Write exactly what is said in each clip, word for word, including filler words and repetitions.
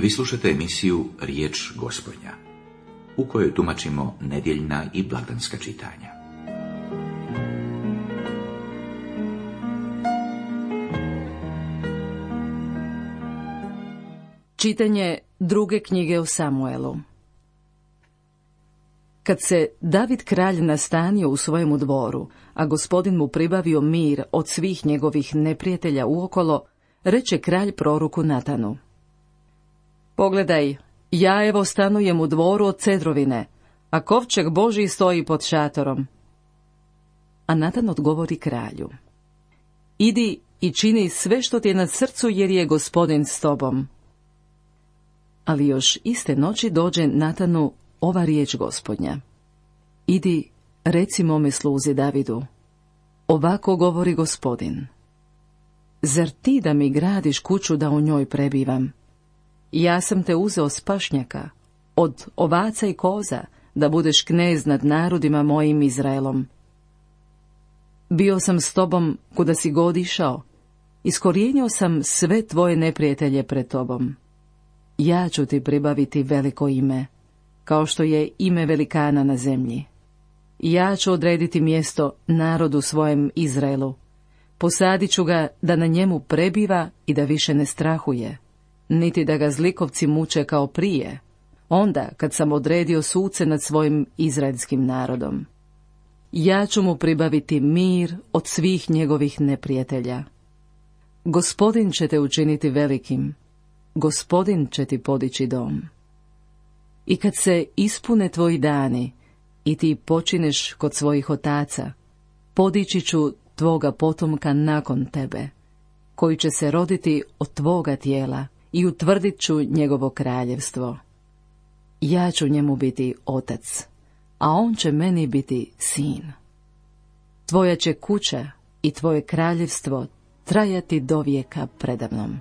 Vi slušate emisiju Riječ Gospodnja, u kojoj tumačimo nedjeljna i blagdanska čitanja. Čitanje druge knjige o Samuelu. Kad se David kralj nastanio u svojemu dvoru, a Gospodin mu pribavio mir od svih njegovih neprijatelja uokolo, reče kralj proroku Natanu: Pogledaj, ja evo stanujem u dvoru od cedrovine, a kovčeg Božji stoji pod šatorom. A Natan odgovori kralju: Idi i čini sve što ti je na srcu, jer je Gospodin s tobom. Ali još iste noći dođe Natanu ova riječ Gospodnja: Idi, reci mome sluzi Davidu, ovako govori Gospodin: Zar ti da mi gradiš kuću da u njoj prebivam? Ja sam te uzeo s pašnjaka, od ovaca i koza, da budeš knez nad narodima mojim Izraelom. Bio sam s tobom kuda si god išao, iskorijenio sam sve tvoje neprijatelje pred tobom. Ja ću ti pribaviti veliko ime, kao što je ime velikana na zemlji. Ja ću odrediti mjesto narodu svojem Izraelu. Posadit ću ga da na njemu prebiva i da više ne strahuje, niti da ga zlikovci muče kao prije, onda kad sam odredio suce nad svojim izraelskim narodom. Ja ću mu pribaviti mir od svih njegovih neprijatelja. Gospodin će te učiniti velikim, Gospodin će ti podići dom. I kad se ispune tvoji dani i ti počineš kod svojih otaca, podići ću tvoga potomka nakon tebe, koji će se roditi od tvoga tijela, i utvrdit ću njegovo kraljevstvo. Ja ću njemu biti otac, a on će meni biti sin. Tvoja će kuća i tvoje kraljevstvo trajati do vijeka predamnom.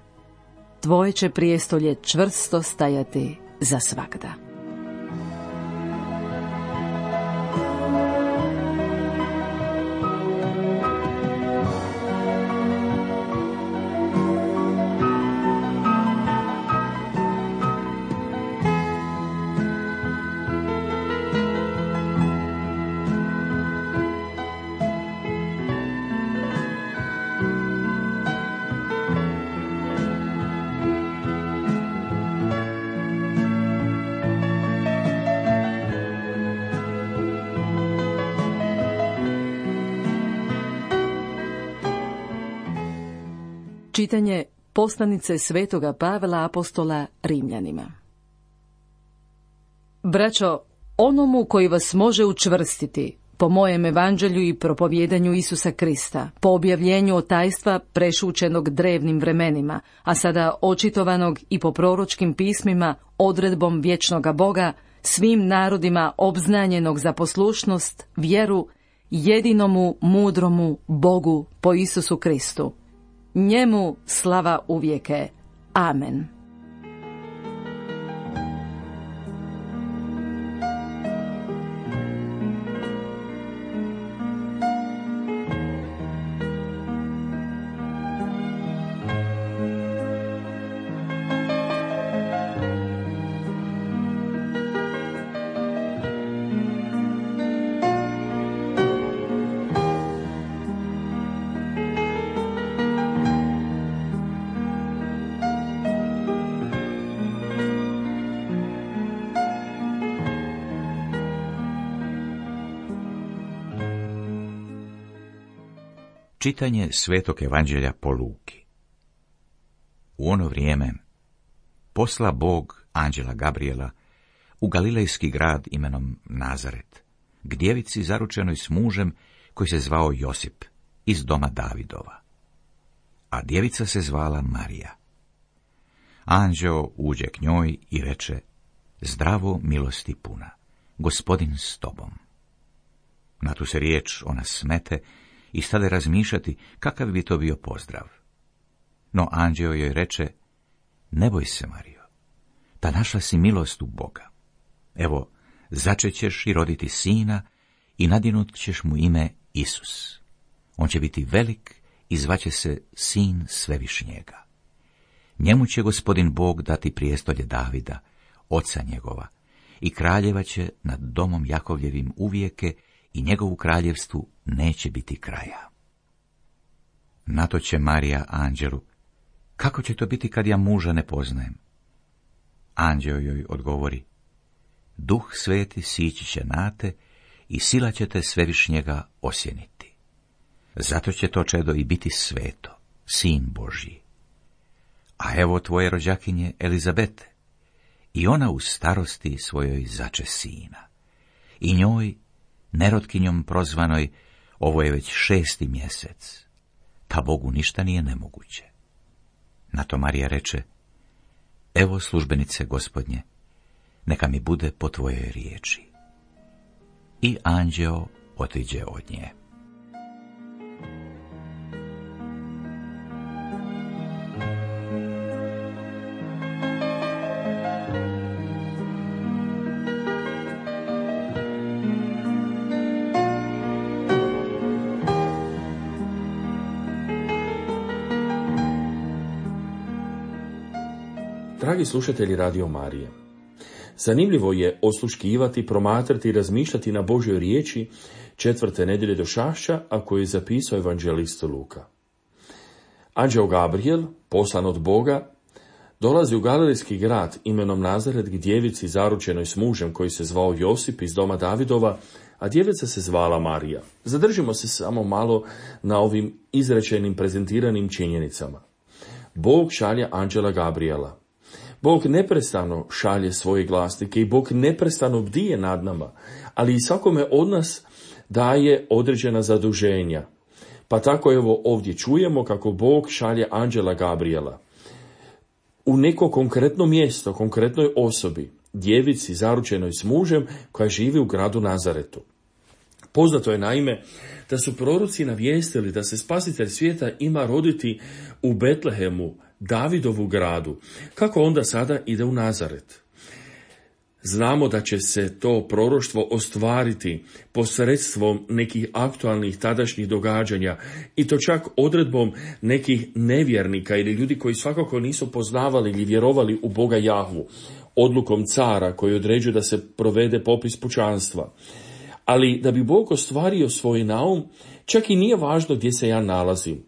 Tvoje će prijestolje čvrsto stajati za svagda. Čitanje poslanice svetoga Pavla apostola Rimljanima. Braćo, onomu koji vas može učvrstiti, po mojem evanđelju i propovjedanju Isusa Krista, po objavljenju otajstva prešućenog drevnim vremenima, a sada očitovanog i po proročkim pismima odredbom vječnoga Boga, svim narodima obznanjenog za poslušnost, vjeru, jedinomu mudromu Bogu po Isusu Kristu. Njemu slava uvijeke. Amen. Čitanje Svetog evanđelja po Luki. U ono vrijeme posla Bog anđela Gabriela u galilejski grad imenom Nazaret, k djevici zaručenoj s mužem koji se zvao Josip, iz doma Davidova. A djevica se zvala Marija. Anđeo uđe k njoj i reče: Zdravo, milosti puna, Gospodin s tobom. Na tu se riječ ona smete i stade razmišljati kakav bi to bio pozdrav. No anđeo joj reče: Ne boj se, Marijo, ta našla si milost u Boga. Evo, začećeš i roditi sina i nadjenut ćeš mu ime Isus. On će biti velik i zvaće se Sin Svevišnjega. Njemu će Gospodin Bog dati prijestolje Davida, oca njegova, i kraljevaće nad domom Jakovljevim uvijeke i njegovu kraljevstvu neće biti kraja. Na to će Marija anđelu: kako će to biti kad ja muža ne poznajem? Anđeo joj odgovori: Duh Sveti sići će na te i sila će te Svevišnjega osjeniti. Zato će to čedo i biti sveto, sin Božji. A evo tvoje rođakinje Elizabete, i ona u starosti svojoj zače sina. I njoj, nerotkinjom prozvanoj, ovo je već šesti mjesec, pa Bogu ništa nije nemoguće. Na to Marija reče: evo službenice Gospodnje, neka mi bude po tvojoj riječi. I anđeo otiđe od nje. Dragi slušatelji Radio Marije, zanimljivo je osluškivati, promatrati i razmišljati na Božjoj riječi četvrte nedjelje došašća, a koju je zapisao evanđelist Luka. Anđeo Gabriel, poslan od Boga, dolazi u galilejski grad imenom Nazaret k djevici zaručenoj s mužem koji se zvao Josip iz doma Davidova, a djevica se zvala Marija. Zadržimo se samo malo na ovim izrečenim prezentiranim činjenicama. Bog šalje anđela Gabriela. Bog neprestano šalje svoje glasnike i Bog neprestano bdije nad nama, ali i svakome od nas daje određena zaduženja. Pa tako evo ovdje čujemo kako Bog šalje anđela Gabriela u neko konkretno mjesto, konkretnoj osobi, djevici zaručenoj s mužem koja živi u gradu Nazaretu. Poznato je naime da su proroci navijestili da se spasitelj svijeta ima roditi u Betlehemu, Davidovu gradu. Kako onda sada ide u Nazaret? Znamo da će se to proroštvo ostvariti posredstvom nekih aktualnih tadašnjih događanja i to čak odredbom nekih nevjernika ili ljudi koji svakako nisu poznavali ili vjerovali u Boga Jahvu, odlukom cara koji određuje da se provede popis pučanstva. Ali da bi Bog ostvario svoj naum, čak i nije važno gdje se ja nalazim,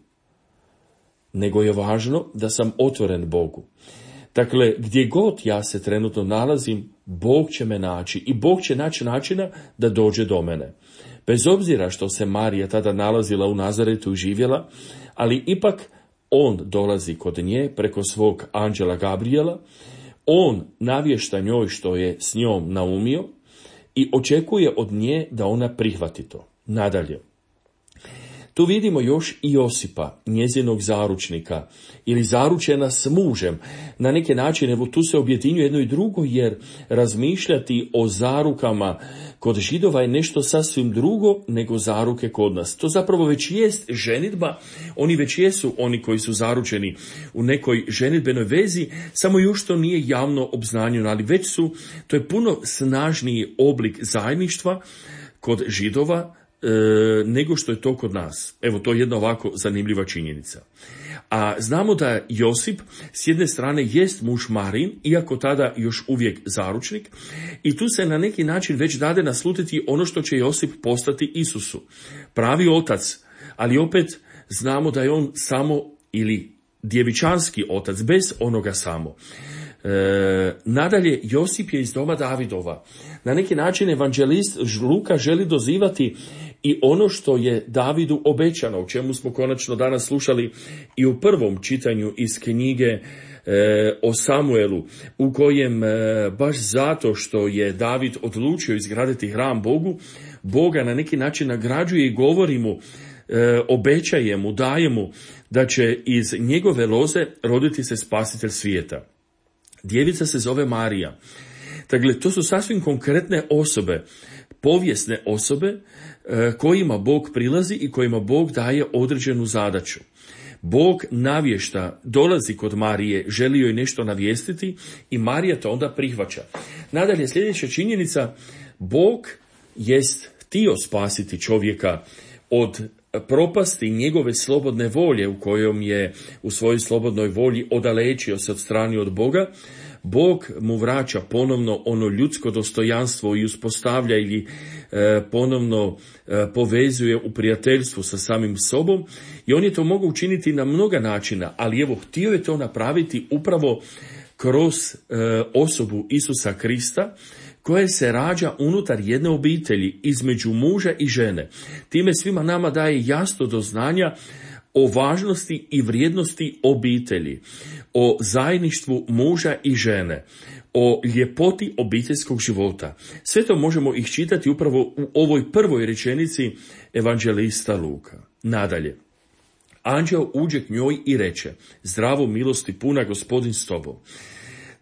nego je važno da sam otvoren Bogu. Dakle, gdje god ja se trenutno nalazim, Bog će me naći i Bog će naći načina da dođe do mene. Bez obzira što se Marija tada nalazila u Nazaretu i živjela, ali ipak on dolazi kod nje preko svog anđela Gabriela, on navješta njoj što je s njom naumio i očekuje od nje da ona prihvati to. Nadalje, tu vidimo još i Josipa, njezinog zaručnika, ili zaručena s mužem. Na neki način, evo tu se objedinjuje jedno i drugo, jer razmišljati o zarukama kod Židova je nešto sasvim drugo nego zaruke kod nas. To zapravo već jest ženidba, oni već jesu oni koji su zaručeni u nekoj ženidbenoj vezi, samo još to nije javno obznanjeno, ali već su, to je puno snažniji oblik zajedništva kod Židova, nego što je to kod nas. Evo, to je jedna ovako zanimljiva činjenica. A znamo da Josip s jedne strane jest muž Marin, iako tada još uvijek zaručnik, i tu se na neki način već dade naslutiti ono što će Josip postati Isusu. Pravi otac, ali opet znamo da je on samo ili djevičanski otac, bez onoga samo. E, nadalje, Josip je iz doma Davidova. Na neki način evanđelist Luka želi dozivati i ono što je Davidu obećano, o čemu smo konačno danas slušali i u prvom čitanju iz knjige e, o Samuelu, u kojem e, baš zato što je David odlučio izgraditi hram Bogu, Boga na neki način nagrađuje i govori mu, e, obećaje mu, daje mu da će iz njegove loze roditi se spasitelj svijeta. Djevica se zove Marija. Dakle, to su sasvim konkretne osobe, povijesne osobe e, kojima Bog prilazi i kojima Bog daje određenu zadaću. Bog navješta, dolazi kod Marije, želi joj nešto navijestiti i Marija to onda prihvaća. Nadalje, sljedeća činjenica, Bog jest htio spasiti čovjeka od propasti njegove slobodne volje u kojom je u svojoj slobodnoj volji odalečio se od strani od Boga, Bog mu vraća ponovno ono ljudsko dostojanstvo i uspostavlja ili e, ponovno e, povezuje u prijateljstvu sa samim sobom i on je to mogao učiniti na mnoga načina, ali evo htio je to napraviti upravo kroz e, osobu Isusa Krista, koja se rađa unutar jedne obitelji između muža i žene. Time svima nama daje jasno do znanja o važnosti i vrijednosti obitelji, o zajedništvu muža i žene, o ljepoti obiteljskog života. Sve to možemo iščitati upravo u ovoj prvoj rečenici evanđelista Luka. Nadalje, anđeo uđe k njoj i reče: zdravo, milosti puna, Gospodin s tobom.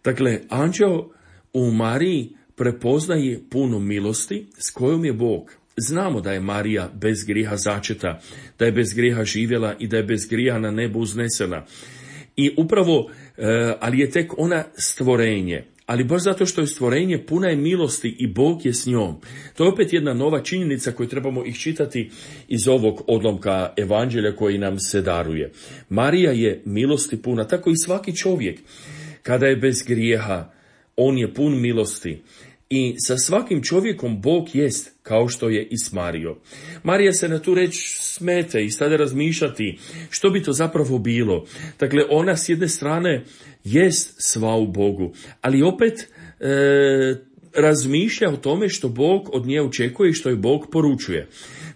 Dakle, anđeo u Mariji prepoznaje puno milosti s kojom je Bog. Znamo da je Marija bez grijeha začeta, da je bez grijeha živjela i da je bez grijeha na nebu uznesena. I upravo, e, ali je tek ona stvorenje. Ali baš zato što je stvorenje, puna je milosti i Bog je s njom. To je opet jedna nova činjenica koju trebamo iščitati iz ovog odlomka evanđelja koji nam se daruje. Marija je milosti puna, tako i svaki čovjek. Kada je bez grijeha, on je pun milosti. I sa svakim čovjekom Bog jest, kao što je i s Marijom. Marija se na tu reč smete i sada razmišljati što bi to zapravo bilo. Dakle, ona s jedne strane jest sva u Bogu, ali opet e, razmišlja o tome što Bog od nje očekuje i što je Bog poručuje.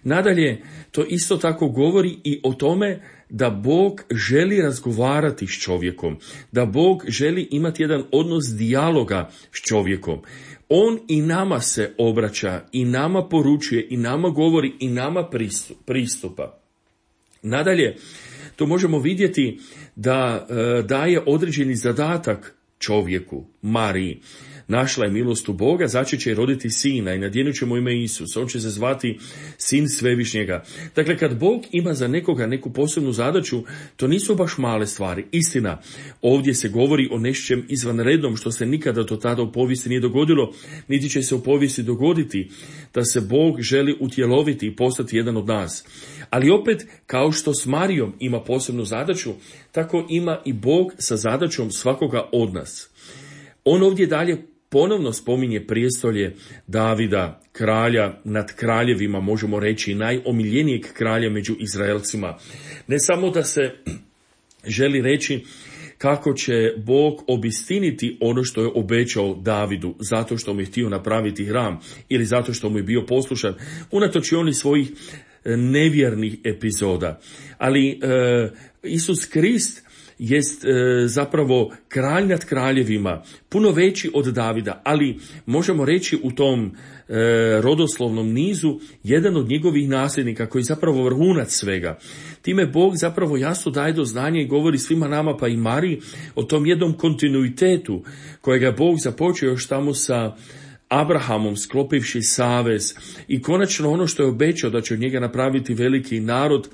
Nadalje, to isto tako govori i o tome da Bog želi razgovarati s čovjekom, da Bog želi imati jedan odnos dijaloga s čovjekom. On i nama se obraća, i nama poručuje, i nama govori, i nama pristupa. Nadalje, to možemo vidjeti da e, daje određeni zadatak čovjeku, Mariji. Našla je milost u Boga, začet će roditi sina i nadjenut će mu ime Isus. On će se zvati Sin Svevišnjega. Dakle, kad Bog ima za nekoga neku posebnu zadaću, to nisu baš male stvari. Istina, ovdje se govori o nečem izvanrednom što se nikada do tada u povijesti nije dogodilo, niti će se u povijesti dogoditi, da se Bog želi utjeloviti i postati jedan od nas. Ali opet, kao što s Marijom ima posebnu zadaću, tako ima i Bog sa zadaćom svakoga od nas. On ovdje dalje ponovno spominje prijestolje Davida, kralja nad kraljevima, možemo reći najomiljenijeg kralja među Izraelcima. Ne samo da se želi reći kako će Bog obistiniti ono što je obećao Davidu, zato što mu je htio napraviti hram ili zato što mu je bio poslušan, unatoč i onih svojih nevjernih epizoda. Ali e, Isus Krist jest e, zapravo kralj nad kraljevima, puno veći od Davida, ali možemo reći u tom e, rodoslovnom nizu jedan od njegovih nasljednika koji je zapravo vrhunac svega. Time Bog zapravo jasno daje do znanja i govori svima nama, pa i Mariji, o tom jednom kontinuitetu kojega je Bog započeo još tamo sa Abrahamom, sklopivši savez, i konačno ono što je obećao da će od njega napraviti veliki narod,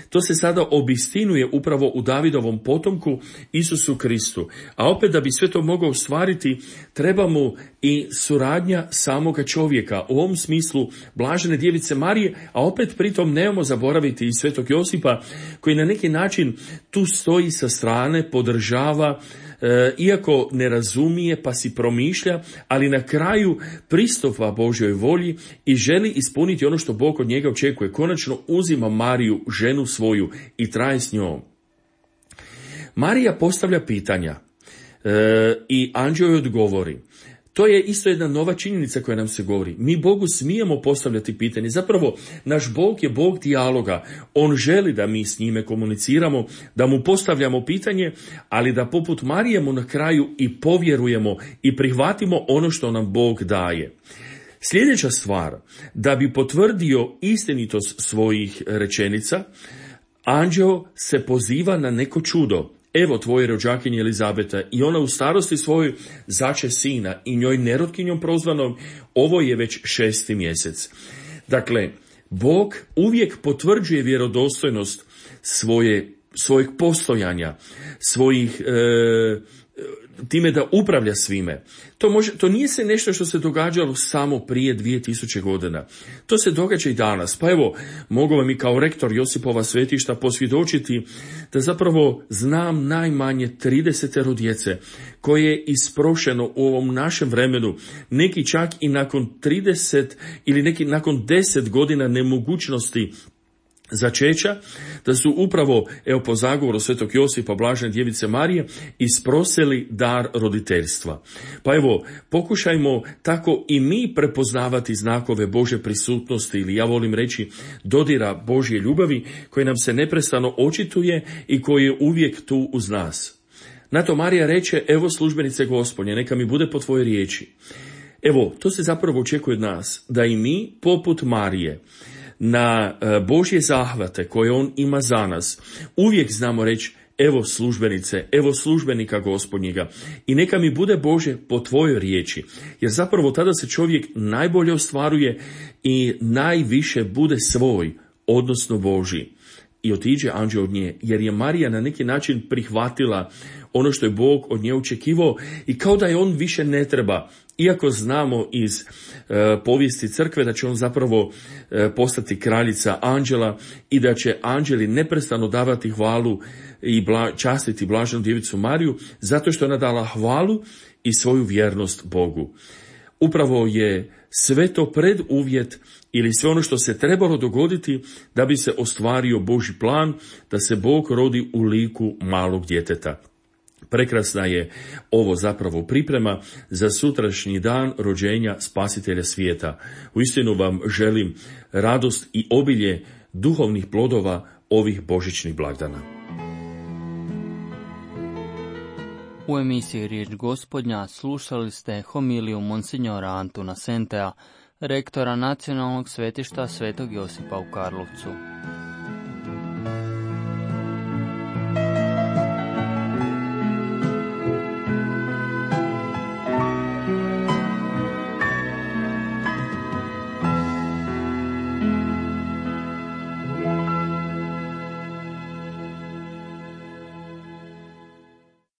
to se sada obistinuje upravo u Davidovom potomku Isusu Kristu. A opet da bi sve to mogao ostvariti, treba mu i suradnja samoga čovjeka. U ovom smislu blažene djevice Marije, a opet pritom nemamo zaboraviti i svetog Josipa, koji na neki način tu stoji sa strane, podržava, E, iako ne razumije pa si promišlja, ali na kraju pristupa Božjoj volji i želi ispuniti ono što Bog od njega očekuje. Konačno uzima Mariju, ženu svoju, i traje s njom. Marija postavlja pitanja e, i anđeo joj odgovori. To je isto jedna nova činjenica koja nam se govori. Mi Bogu smijemo postavljati pitanje. Zapravo, naš Bog je Bog dijaloga. On želi da mi s njime komuniciramo, da mu postavljamo pitanje, ali da poput Marije mu na kraju i povjerujemo i prihvatimo ono što nam Bog daje. Sljedeća stvar, da bi potvrdio istinitost svojih rečenica, anđeo se poziva na neko čudo. Evo tvoje rođakinje Elizabeta, i ona u starosti svojoj zače sina, i njoj nerotkinjom prozvanom, ovo je već šesti mjesec. Dakle, Bog uvijek potvrđuje vjerodostojnost svoje, svojeg postojanja, svojih e, time da upravlja svime. To, može, to nije se nešto što se događalo samo prije dvije tisuće godina. To se događa i danas. Pa evo, mogu vam i kao rektor Josipova svetišta posvjedočiti da zapravo znam najmanje trideset djece koje je isprošeno u ovom našem vremenu, neki čak i nakon trideset ili neki nakon deset godina nemogućnosti začeća, da su upravo, evo po zagovoru svetog Josipa, blažene djevice Marije, isprosili dar roditeljstva. Pa evo, pokušajmo tako i mi prepoznavati znakove Božje prisutnosti, ili ja volim reći dodira Božje ljubavi, koje nam se neprestano očituje i koji je uvijek tu uz nas. Na to Marija reče, evo službenice Gospodnje, neka mi bude po tvojoj riječi. Evo, to se zapravo očekuje od nas, da i mi, poput Marije, na Božje zahvate koje on ima za nas, uvijek znamo reći, evo službenice, evo službenika Gospodnjega, i neka mi bude Bože po tvojoj riječi, jer zapravo tada se čovjek najbolje ostvaruje i najviše bude svoj, odnosno Božji. I otiđe anđeo od nje, jer je Marija na neki način prihvatila ono što je Bog od nje očekivao i kao da je on više ne treba. Iako znamo iz e, povijesti crkve da će on zapravo e, postati kraljica anđela i da će anđeli neprestano davati hvalu i bla, častiti blaženu djevicu Mariju, zato što je ona dala hvalu i svoju vjernost Bogu. Upravo je sve to preduvjet ili sve ono što se trebalo dogoditi da bi se ostvario Božji plan, da se Bog rodi u liku malog djeteta. Prekrasna je ovo zapravo priprema za sutrašnji dan rođenja Spasitelja svijeta. Uistinu vam želim radost i obilje duhovnih plodova ovih božićnih blagdana. U emisiji Riječ Gospodnja slušali ste homiliju monsinjora Antuna Sentea, rektora Nacionalnog svetišta Svetog Josipa u Karlovcu.